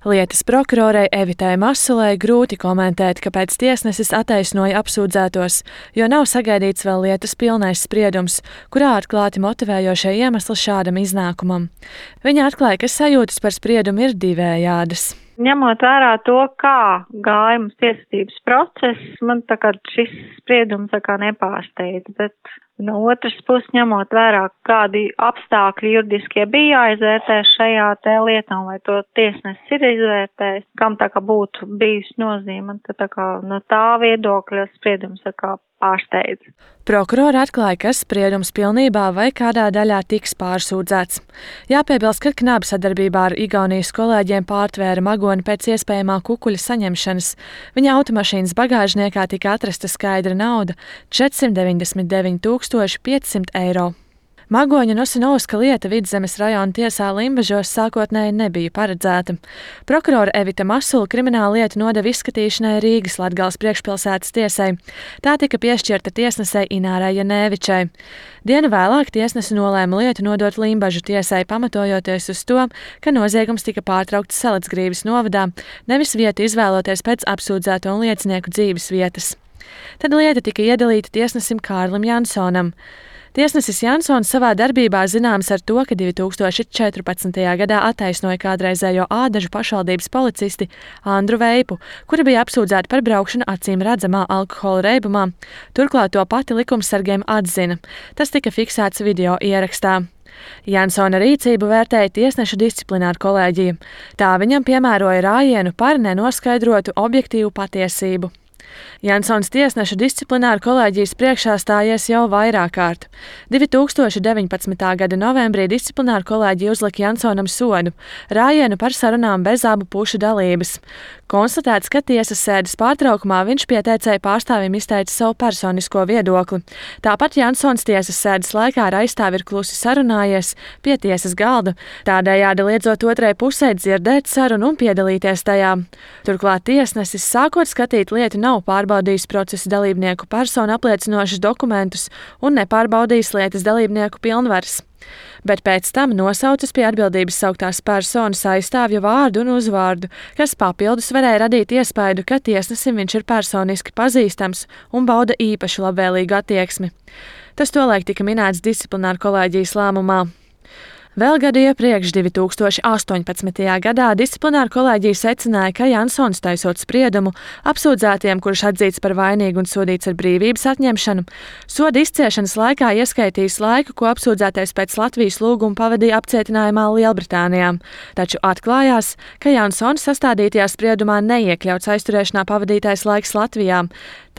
Lietas prokurorei Evitai Masulei grūti komentēt, kāpēc tiesnesis attaisnoja apsūdzētos, jo nav sagaidīts vēl lietas pilnais spriedums, kurā atklāti motivējošie iemesli šādam iznākumam. Viņa atklāja, ka sajūtas par spriedumu ir divējādas. Ņemot vērā to, kā gāja mums tiesvedības process, man šis spriedums nepārsteidz, bet no otras puses ņemot vērā, kādi apstākļi juridiskie bija jāizvērtē šajā lietā, un vai to tiesnesis ir izvērtējis, kam būtu bijusi nozīme, tad no tā viedokļa spriedums pārsteidz. Prokurori atklāja, ka spriedums pilnībā vai kādā daļā tiks pārsūdzēts. Jāpiebilst, ka Knaba sadarbībā ar Igaunijas kolēģiem pārtvēra magoni pēc iespējamā kukuļa saņemšanas. Viņa automašīnas bagāžniekā tika atrasta skaidra nauda – 499 500 eiro. Magoņa Nosinovska lieta Vidzemes rajona tiesā Limbažos sākotnēji nebija paredzēta. Prokurore Evita Masula kriminālu lietu nodeva izskatīšanai Rīgas Latgales priekšpilsētas tiesai. Tā tika piešķirta tiesnesei Inārai Janēvičai. Dienu vēlāk tiesnese nolēma lietu nodot Limbažu tiesai, pamatojoties uz to, ka noziegums tika pārtraukts Salacgrīvas novadā, nevis vietu izvēloties pēc apsūdzēto un liecinieku dzīves vietas. Tad lieta tika iedalīta tiesnesim Kārlim Jansonam. Tiesnesis Jansons savā darbībā zināms ar to, ka 2014. gadā attaisnoja kādreizējo Ādažu pašvaldības policisti Andru Veipu, kura bija apsūdzēta par braukšanu acīm redzamā alkohola reibumā. Turklāt to pati likumsargiem atzina. Tas tika fiksēts video ierakstā. Jansona rīcību vērtēja tiesnešu disciplināra kolēģija. Tā viņam piemēroja rājienu par nenoskaidrotu objektīvu patiesību. Jansons tiesnešu disciplināra kolēģijas priekšā stājies jau vairāk kārt. 2019. gada novembrī disciplināra kolēģija uzlika Jansonam sodu – rājienu par sarunām bez abu pušu dalības. Konstatēts, ka tiesas sēdes pārtraukumā viņš pieteicēja pārstāvim izteica savu personisko viedokli. Tāpat Jansons tiesas sēdes laikā ar aizstāvi ir klusi sarunājies pie tiesas galda, tādējādi liedzot otrai pusē dzirdēt sarunu un piedalīties tajā. Turklāt tiesnesis, sākot skatīt lietu, nav pārbaudījis procesa dalībnieku personu apliecinošus dokumentus un nepārbaudījis lietas dalībnieku pilnvaras. Bet pēc tam nosaucas pie atbildības sauktās personas aizstāvju vārdu un uzvārdu, kas papildus varēja radīt iespaidu, ka tiesnesim viņš ir personiski pazīstams un bauda īpaši labvēlīgu attieksmi. Tas tolaik tika minēts disciplināra kolēģijas lēmumā. Vēl gadu iepriekš, 2018. gadā, disciplināra kolēģija secināja, ka Jansons taisot spriedumu apsūdzētiem, kurš atzīts par vainīgu un sodīts ar brīvības atņemšanu, soda izciešanas laikā ieskaitījis laiku, ko apsūdzētais pēc Latvijas lūguma pavadīja apcietinājumā Lielbritānijā. Taču atklājās, ka Jansona sastādītajā spriedumā neiekļauts aizturēšanā pavadītais laiks Latvijā.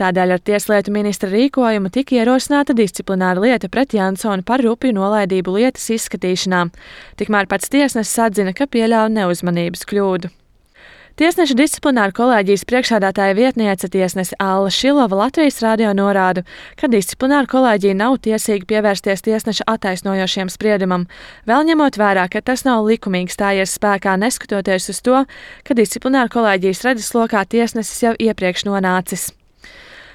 Tādēļ ar tieslietu ministra rīkojumu tika ierosināta disciplināra lieta pret Jansonu par rupju nolaidību lietas izskatīšanā. Tikmēr pats tiesnesis atzina, ka pieļāva neuzmanības kļūdu. Tiesneša disciplināra kolēģijas priekšsēdētāja vietniece tiesnese Alla Šilova Latvijas radio norāda, ka disciplināra kolēģija nav tiesīga pievērsties tiesneša attaisnojošiem spriedumam, vēl ņemot vērā, ka tas nav likumīgi stājies spēkā, neskatoties uz to, ka disciplināra kolēģijas redzeslokā tiesnesis jau iepriekš nonācis.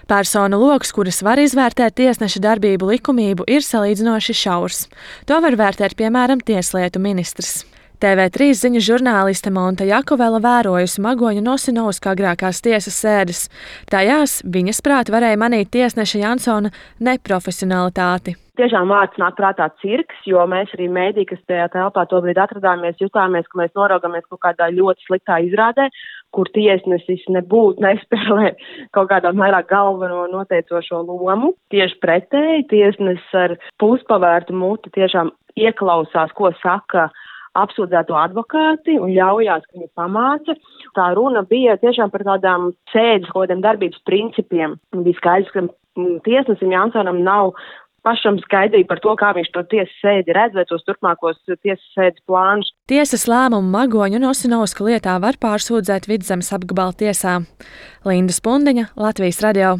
Personu loks, kuras var izvērtēt tiesneša darbību likumību, ir salīdzinoši šaurs. To var vērtēt, piemēram, tieslietu ministrs. TV3 ziņu žurnāliste Monta Jakovela vērojusi Magoņa Nosinovska agrākās tiesas sēdes. Tajās viņas prāt varēja manīt tiesneša Jansona neprofesionalitāti. Tiešām vārds nāk prātā cirks, jo mēs arī mēdī, kas tajā telpā tobrīd atradāmies, jutāmies, ka mēs noraugamies kaut kādā ļoti sliktā izrādē, kur tiesnesis nebūtu nespēlē kaut kādā vairāk galveno noteicošo lomu. Tieši pretēji, tiesnesis ar puspavērtu muti tiešām ieklausās, ko saka apsūdzēto advokāti un ļaujās, ka viņi pamāca. Tā runa bija tiešām par tādām sēdes, kodiem darbības principiem. Bija skaidrs, ka tiesnesim Jansonam nav pašam skaidrība par to, kā viņš to tiesas sēdi redz vai tos turpmākos tiesas sēdes plānus. Tiesas lēmumu Magoņu Nosinovska lietā var pārsūdzēt Vidzemes apgabala tiesā. Linda Spundiņa, Latvijas radio.